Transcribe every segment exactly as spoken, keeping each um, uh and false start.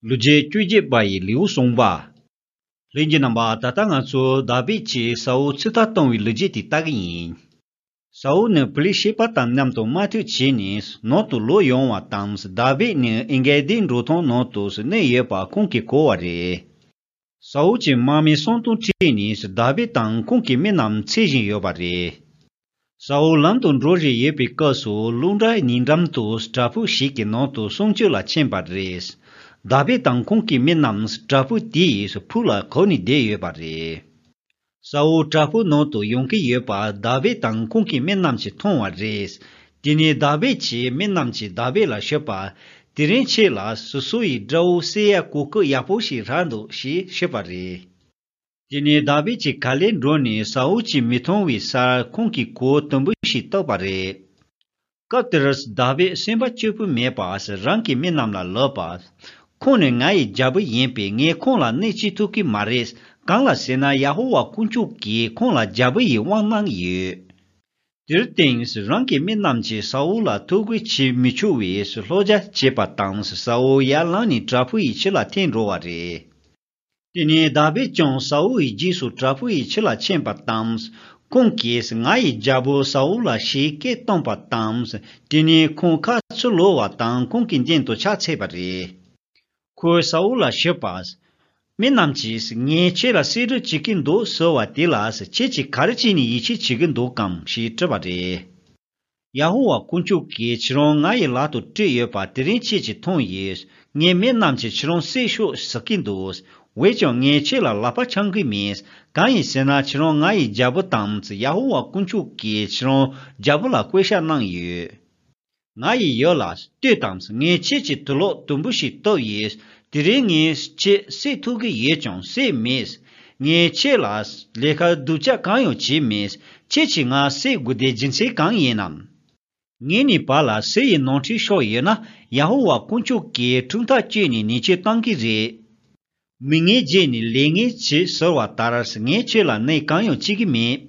ལོ་རྒྱུས་བཅུ་གཅིག་པ་ཡི་ལེའུ་གསུངས་པ། ལྷན་རྒྱས་རྣམ་པ། ད་ལྟ་ང་ཚོ་དཱ་བིད་ཀྱིས་ས་ཨུལ་ཚུད་ལྟ་གཏོང་བའི་ལོ་རྒྱུས་དེ་ལྟ་གི་ཡིན། ས་ཨུལ་ནི་པི་ལི་ཤེད་པ་དང་མཉམ་དུ་དམག་འཁྲུག་བྱས་ནས་ནང་དུ་ལོག་ཡོང་བ་དང་། དཱ་བིད་ནི་ཨེན་གེ་དིའི་འབྲོག་ཐང་ནང་དུ་གནས་ཡོད་པ་ཁོང་གིས་གོ་བ་རེད། ས་ཨུལ་གྱི་དམག་མི་སུམ་སྟོང་ཁྲིད་ནས་དཱ་བིད་དང་ཁོང་གི་མི་རྣམས་འཚོལ་བཞིན་ཡོད་པ་རེད། ས་ཨུལ་ལམ་དུ་འགྲོ་བཞིན་ཡོད་པའི་སྐབས་སུ། ཀླུ་མཁར་ཉེ་འགྲམ་དུ་བྲག་ཕུག་ཞིག་གི་ནང་དུ་གསུང་ཆོས་ལ་ཕྱིན་པ་རེད། དཱ་བིད་དང་ཁོང་གི་མི་རྣམས་བྲག་ཕུག་དེའི་ཕུག་ལ་གོ་ནས་བསྡད་ཡོད་པ་རེད། ས་ཨུལ་བྲག་ཕུག་ནང་དུ་ཡོང་གི་ཡོད་པ་དཱ་བིད་དང་ཁོང་གི་མི་རྣམས་ཀྱིས་མཐོང་བ་རེད། དེ་ནས་དཱ་བིད་ཀྱི་མི་རྣམས་ཀྱིས་དཱ་བིད་ལ་ཞུས་པ། དེ་རིང་ཁྱེད་ལ་སོ་སོ་ཡི་དགྲ་བོ་བསད་ཡ་གོ་སྐབས་ཡག་པོ་ཞིག་རག་འདུག་ཞེས་ཞུས་པ་རེད། དེ་ནས་དཱ་བིད་ཀྱིས་ག་ལེར་འགྲོ་ནས་ས་ཨུལ་གྱིས་མི་མཐོང་བའི་སར་ཁོང་གི་གོས་དུམ་བུ་ཞིག་བཏགས་པ་རེད། སྐབས་དེར་དཱ་བིད་སེམས་པ་སྐྱིད་པོ་མེད་པར་རང་གི་མི་རྣམས་ལ་ལབ་པ། ཁོང་ནི་ང་ཡི་རྒྱལ་པོ་ཡིན་པས་ངས་ཁོང་ལ་གནོད་བྱེད་ཐུབ་ཀྱི་མ་རེད། གང་ལ་ཟེར་ན་ཡ་ཧོ་ཝཱ་དཀོན་མཆོག་གིས་ཁོང་ལ་རྒྱལ་པོ་ཡི་དབང་གནང་ཡོད། དེར་བརྟེན་རང་གི་མི་རྣམས་ཀྱིས་ས་ཨུལ་ལ་ཐུགས་ཁུར་བྱེད་མི་ཆོག་པའི་བསླབ་བྱ་བྱས་པ་དང་། ས་ཨུལ་ཡར་ལངས་ནས་བྲག་ཕུག་ཡི་ཕྱི་ལ་ཐོན་འགྲོ་བ་རེད། དེ་ནས་དཱ་བིད་ཀྱང་ས་ཨུལ་ཡི་རྗེས་སུ་བྲག་ཕུག་ཡི་ཕྱི་ལ་ཕྱིན་པ་དང་། ཁོང་གིས་ང་ཡི་རྒྱལ་པོ་ས་ཨུལ་ལ་ཞེད་སྐད་བཏང་པ་དང་། དེ་ནས་ཁོང་ཁ་ཚུར་ལོག་པ་དང་ཁོང་གི་མདུན་དུ་ཕྱག་འཚལ་བ་རེད། ཁོས་ས་ཨུལ་ལ་ཞུས་པ། མི་རྣམས་ཀྱིས་ངས་ཁྱེད་ལ་གསོད་རེས་བྱེད་ཀྱི་འདུག་ཟེར་བ་དེ་ལ་ཁྱེད་ཀྱིས་ག་རེ་བྱས་ནས་ཡིད་ཆེས་བྱེད་ཀྱི་འདུག་གམ་ཞེས་དྲིས་པ་རེད། ཡ་ཧོ་ཝཱ་དཀོན་མཆོག་གིས་ཁྱེད་རང་ང་ཡི་ལག་ཏུ་སྤྲད་ཡོད་པ་དེ་རིང་ཁྱེད་ཀྱིས་མཐོང་ཡོད། ངའི་མི་རྣམས་ཀྱིས་ཁྱེད་རང་བསད་ཤོག་ཟེར་གྱི་འདུག། འོན་ཀྱང་ངས་ཁྱེད་ལ་ལག་པ་འཆང་གི་མེད། གང་ཡིན་ཟེར་ན་ཁྱེད་རང་ང་ཡི་རྒྱལ་པོ་དང་། ཡ་ཧོ་ཝཱ་དཀོན་མཆོག་གིས་ཁྱེད་རང་རྒྱལ་པོ་ལ་བསྐོས་བཞག་གནང་ཡོད། ང་ཡི་ཡུལ་ལ་ལྟོས་དང་། ངས་ཁྱེད་ཀྱི་དུག་ལོག་དུམ་བུ་ཞིག་བཏབ་ཡོད། དེ་རིང་ངས་ཁྱེད་བསད་ཐུབ་ཀྱི་ཡོད་ཀྱང་བསད་མེད། ངས་ཁྱེད་ལ་ལས་ཀ་སྡུག་ཅག་གང་ཡང་བྱས་མེད། ཁྱེད་ཀྱིས་ང་བསད་དགོས་དེ་རྒྱུ་མཚན་གང་ཡིན་ནམ། ངེད་གཉིས་བར་ལ་ཟས་ཡི་ནོར་འཁྲུལ་ཤོར་ཡོད་ན། ཡ་ཧོ་ཝཱ་དཀོན་མཆོག་གིས་ཁྲིམས་ཐག་གཅོད་ནས་ཉེས་ཆད་གཏང་གི་རེད། མི་ངན་བརྗེས་ནས་ལས་ངན་བྱེད་ཟེར་བ་ལྟར། ངས་ཁྱེད་ལ་གནོད་གང་ཡང་བྱེད་ཀྱི་མེད།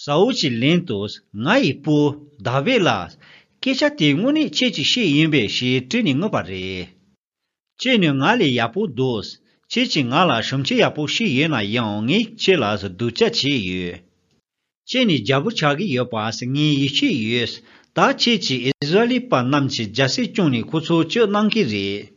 ས་ཨུལ་གྱིས་ལན་དུ། ང་ཡི་བུ་དཱ་བིད་ལགས། སྐད་ཆ་དེ་དངོས་གནས་ཁྱེད་ཀྱིས་བཤད་ཡིན་པས་ཞེས་དྲིས་ནས་ངུས་པ་རེད། ཁྱེད་ནི་ང་ལས་ཡག་པོ་འདུག། ཁྱེད་ཀྱིས་ང་ལ་སྲུང་བྱེད་ཡག་པོ་བྱས་ཡོད་ན་ཡང་ངས་ཁྱེད་ལ་སྡུག་ཅག་བྱས་ཡོད། ཁྱེད་ནི་རྒྱལ་པོ་ཆགས་ཀྱི་ཡོད་པ་ངས་ཡིད་ཆེས་ཡོད། ད་ཁྱེད་ཀྱིས་ཨིསི་ར་ཨེལ་པ་རྣམས་ཀྱི་རྒྱལ་སྲིད་བསྐྱངས་ནས་ཁོ་ཚོ་སྐྱོབ་གནང་གི་རེད།